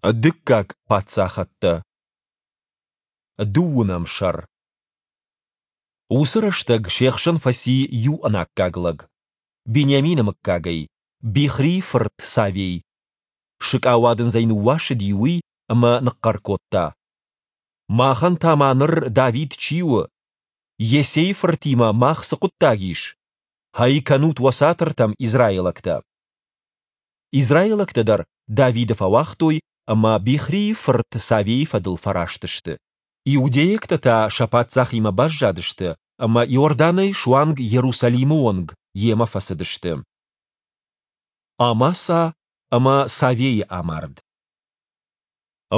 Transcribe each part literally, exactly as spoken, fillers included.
Дыккаг паддзахӕдтӕ. Дыууынӕм сӕр. Уыцы рӕстӕг се хсӕн фӕци иу ӕнаккаг лӕг, Бениамины мыггагӕй, Бихрийы фырт Савей. Сыкъауадындзӕй ныууасыди уый ӕмӕ ныхъхъӕр кодта: Махӕн та ма ныр Давид чи у? Йессейы фыртимӕ мах цы хъуыддаг ис? Гьӕй кӕнут уӕ цатыртӕм, израилӕгтӕ! Израилӕгтӕ дӕр Давиды фӕуагътой ӕмӕ Бихрийы фырт Савейы фӕдыл фӕраст сты. Иудейӕгтӕ та сӕ паддзахимӕ баззадысты ӕмӕ Иорданӕй суанг Иерусалимы онг йемӕ фӕцыдысты. Амаса ӕмӕ Савейы амард.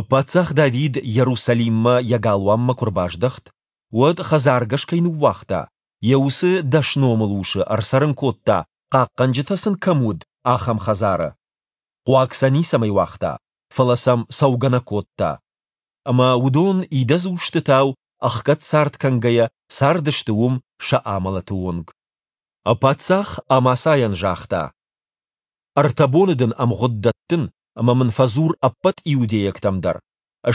Паддзах Давид Иерусалиммӕ йӕ галуанмӕ куы рбаздӕхт, уӕд, хӕдзаргӕс кӕй ныууагъта, йӕ уыцы дӕс номылусы ӕрцӕрын кодта, хъахъхъӕнджытӕ сын кӕм уыд, ахӕм хӕдзары. Хъуаг сӕ ницӕмӕй уагъта, фӕлӕ сӕм цӕугӕ нӕ кодта. Ӕмӕ уыдон идӕдз устытау ӕхгӕд цард кӕнгӕйӕ цардысты уым сӕ амӕлӕты онг. Паддзах Амасайӕн загъта: Ӕртӕ боны дын ӕмгъуыд дӕттын, ӕмӕ мын фӕдзур ӕппӕт иудейӕгтӕм дӕр,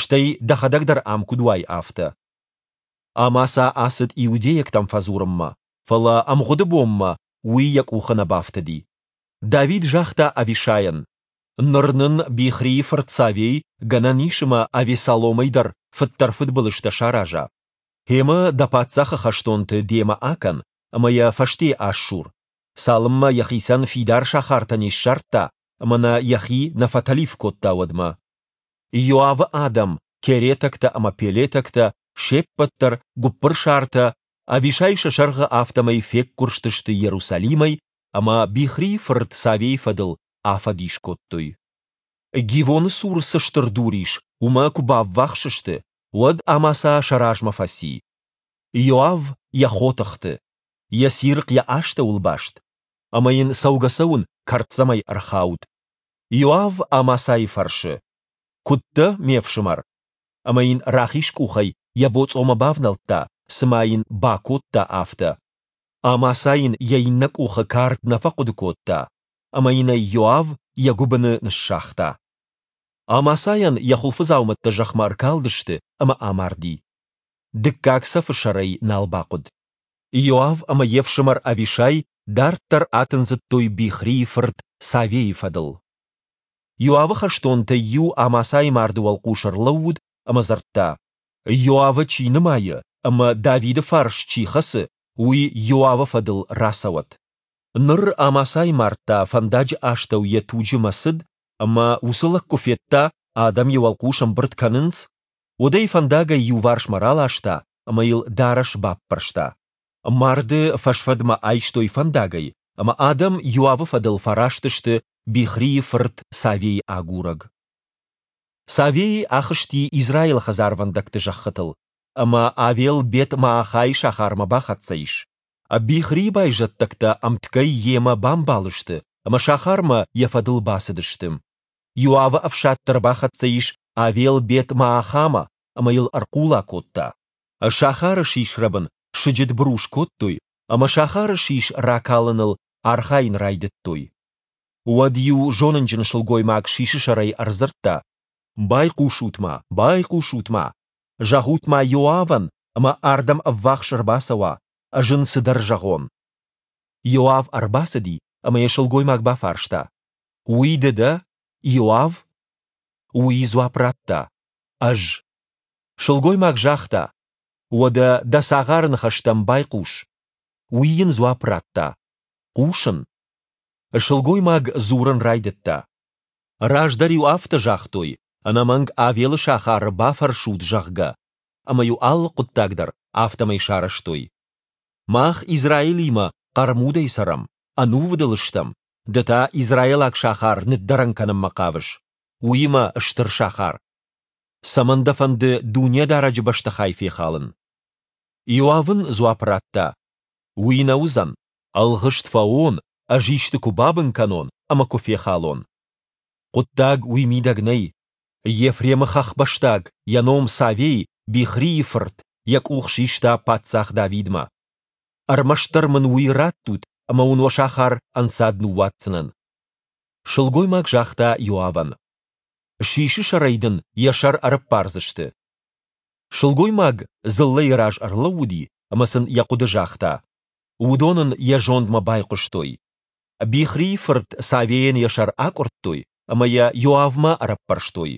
стӕй дӕхӕдӕг дӕр ам куыд уай, афтӕ. Амаса ацыд иудейӕгтӕм фӕдзурынмӕ, фӕлӕ ӕмгъуыды бонмӕ уый йӕ къухы нӕ бафтыди. Давид загъта Авишайӕн: Ныр нын Бихрийы фырт Савей гӕнӕн ис ӕмӕ Авессаломӕй дӕр фыддӕр фыдбылызтӕ сараза. Гъемӕ дӕ паддзахы хӕстонты демӕ акӕн ӕмӕ йӕ фӕсте асур, цалынмӕ йӕхицӕн фидар сахартӕ не ссардта ӕмӕ нӕ йӕхи нӕ фӕтӕлиф кодта, уӕдмӕ. Иоавы адӕм, керетӕгтӕ ӕмӕ пелетӕгтӕ, се ппӕт дӕр, гуыппырсартӕ, Авишай сӕ сӕргъы, афтӕмӕй феггуырстысты Иерусалимӕй ӕмӕ Бихрийы фырт Савейы фӕдыл афӕдис кодтой. Гивоны цур цы стыр дур ис, уымӕ куы баввахс сты, уӕд Амаса сӕ размӕ фӕци. Иоав йӕ хотыхты, йӕ цирхъ йӕ астӕуыл баст, ӕмӕ йын цӕугӕ-цӕуын кӕрддзӕмӕй ӕрхауд. Иоав Амасайы фӕрсы: Куыд дӕ, ме фсымӕр? Ӕмӕ йын рахиз къухӕй йӕ боцъомӕ бавнӕлдта, цыма йын ба кодта, афтӕ. Амаса йын йӕ иннӕ къухы кард нӕ фӕхъуыды кодта, ӕмӕ йын ӕй Иоав йӕ гуыбыны ныссагъта. Амасайӕн йӕ хуылфыдзаумӕттӕ зӕхмӕ ӕркалдысты ӕмӕ амарди. Дыккаг цӕфы сӕр ӕй нал бахъуыд. Иоав ӕмӕ йе фсымӕр Авишай дарддӕр атындзыдтой Бихрийы фырт Савейы фӕдыл. Иоавы хӕстонтӕй иу Амасайы марды уӕлхъус ӕрлӕууыд ӕмӕ дзырдта: Иоавы чи нымайы ӕмӕ Давиды фарс чи хӕцы, уый Иоавы фӕдыл рацӕуӕд. Ныр Амасайы мард та фӕндаджы астӕу йӕ туджы мӕцыд, ӕмӕ уыцы лӕг куы федта, адӕм йӕ уӕлхъус ӕмбырд кӕнынц, уӕд ӕй фӕндагӕй иуварсмӕ раласта ӕмӕ йыл дарӕс баппӕрста. Марды фӕсфӕдмӕ айстой фӕндагӕй, ӕмӕ адӕм Иоавы фӕдыл фӕраст сты Бихрийы фырт Савейы агурӕг. Савей ахызти Израилы хӕдзарвӕндӕгты зӕххытыл, ӕмӕ Авел-Бет-Маахайы сахармӕ бахӕццӕ ис. Бихрийы байзӕддӕгтӕ ӕмткӕй йемӕ бамбал сты ӕмӕ сахармӕ йӕ фӕдыл бацыдысты. Иоавы ӕфсад дӕр бахӕццӕ ис Авел-Бет-Маахамӕ ӕмӕ йыл ӕрхъула кодта. Сахары сисрӕбын сыджыт быру скодтой ӕмӕ сахары сис ракалыныл архайын райдыдтой. Уӕд иу зонынджын сылгоймаг сисы сӕрӕй ӕрдзырдта: Байхъусут-ма, байхъусут-ма! Зӕгъут-ма Иоавӕн, ӕмӕ ардӕм ӕввахс ӕрбацӕуа, ӕз ын цыдӕр зӕгъон. Иоав ӕрбацыди, ӕмӕ йӕ сылгоймаг бафарста: Уый ды дӕ, Иоав? Уый дзуапп радта: Ӕз. Сылгоймаг загъта: Уӕдӕ дӕ цагъары ныхӕстӕм байхъус. Уый йын дзуапп радта: Хъусын. Сылгоймаг дзурын райдыдта: Раздӕр-иу афтӕ загътой, ӕнӕмӕнг Авелы сахары бафӕрсут, зӕгъгӕ, ӕмӕ-иу алы хъуыддаг дӕр афтӕмӕй сарӕзтой. Мах Израилимӕ хъӕрмудӕй цӕрӕм, ӕнувыд ыл стӕм, ды та израилаг сахар ныддӕрӕн кӕнынмӕ хъавыс, уыимӕ стыр сахар. Цӕмӕн дӕ фӕнды Дунедарӕджы бӕстыхай фехалын? Иоав ын дзуапп радта: Уый нӕ уыдзӕн, ӕлгъыст фӕуон, ӕз исты куы бабын кӕнон ӕмӕ куы фехалон. Хъуыддаг уый мидӕг нӕй. Ефремы хӕхбӕстаг, йӕ ном Савей, Бихрийы фырт, йӕ къух систа паддзах Давидмӕ. Ӕрмӕстдӕр мын уый раттут, ӕмӕ уын уӕ сахар ӕнцад ныууадздзынӕн. Сылгоймаг загъта Иоавӕн: Сисы сӕрӕй дын йӕ сӕр ӕрӕппардзысты. Сылгоймаг дзыллӕйы раз ӕрлӕууыди ӕмӕ сын йӕ хъуыды загъта. Уыдон ын йӕ зондмӕ байхъуыстой. Бихрийы фырт Савейӕн йӕ сӕр акъуырдтой ӕмӕ йӕ Иоавмӕ ӕрӕппӕрстой.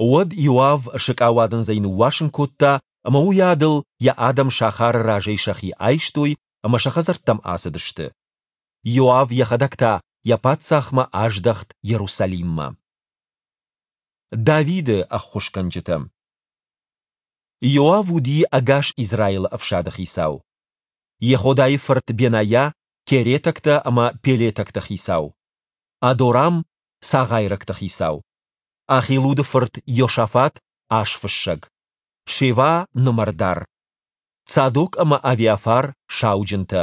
Уӕд Иоав сыкъауадындзӕй ныууасын кодта, ӕмӕ уыйадыл йӕ адӕм сахары разӕй сӕхи айстой ӕмӕ сӕ хӕдзӕрттӕм ацыдысты. Иоав йӕхӕдӕг та йӕ паддзахмӕ аздӕхт Иерусалиммӕ. Давиды ӕххуысгӕнджытӕ. Иоав уыди ӕгас Израилы ӕфсады хицау. Йеходайы фырт Бенайа керетӕгтӕ ӕмӕ пелетӕгты хицау. Адорам цагъайрӕгты хицау. Ахилуды фырт Иосафат азфыссӕг. Шева нымӕрдар. Цадок ӕмӕ Авиафар сауджынтӕ.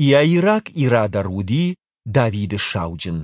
Иаираг Ира дӕр уыди Давиды сауджын.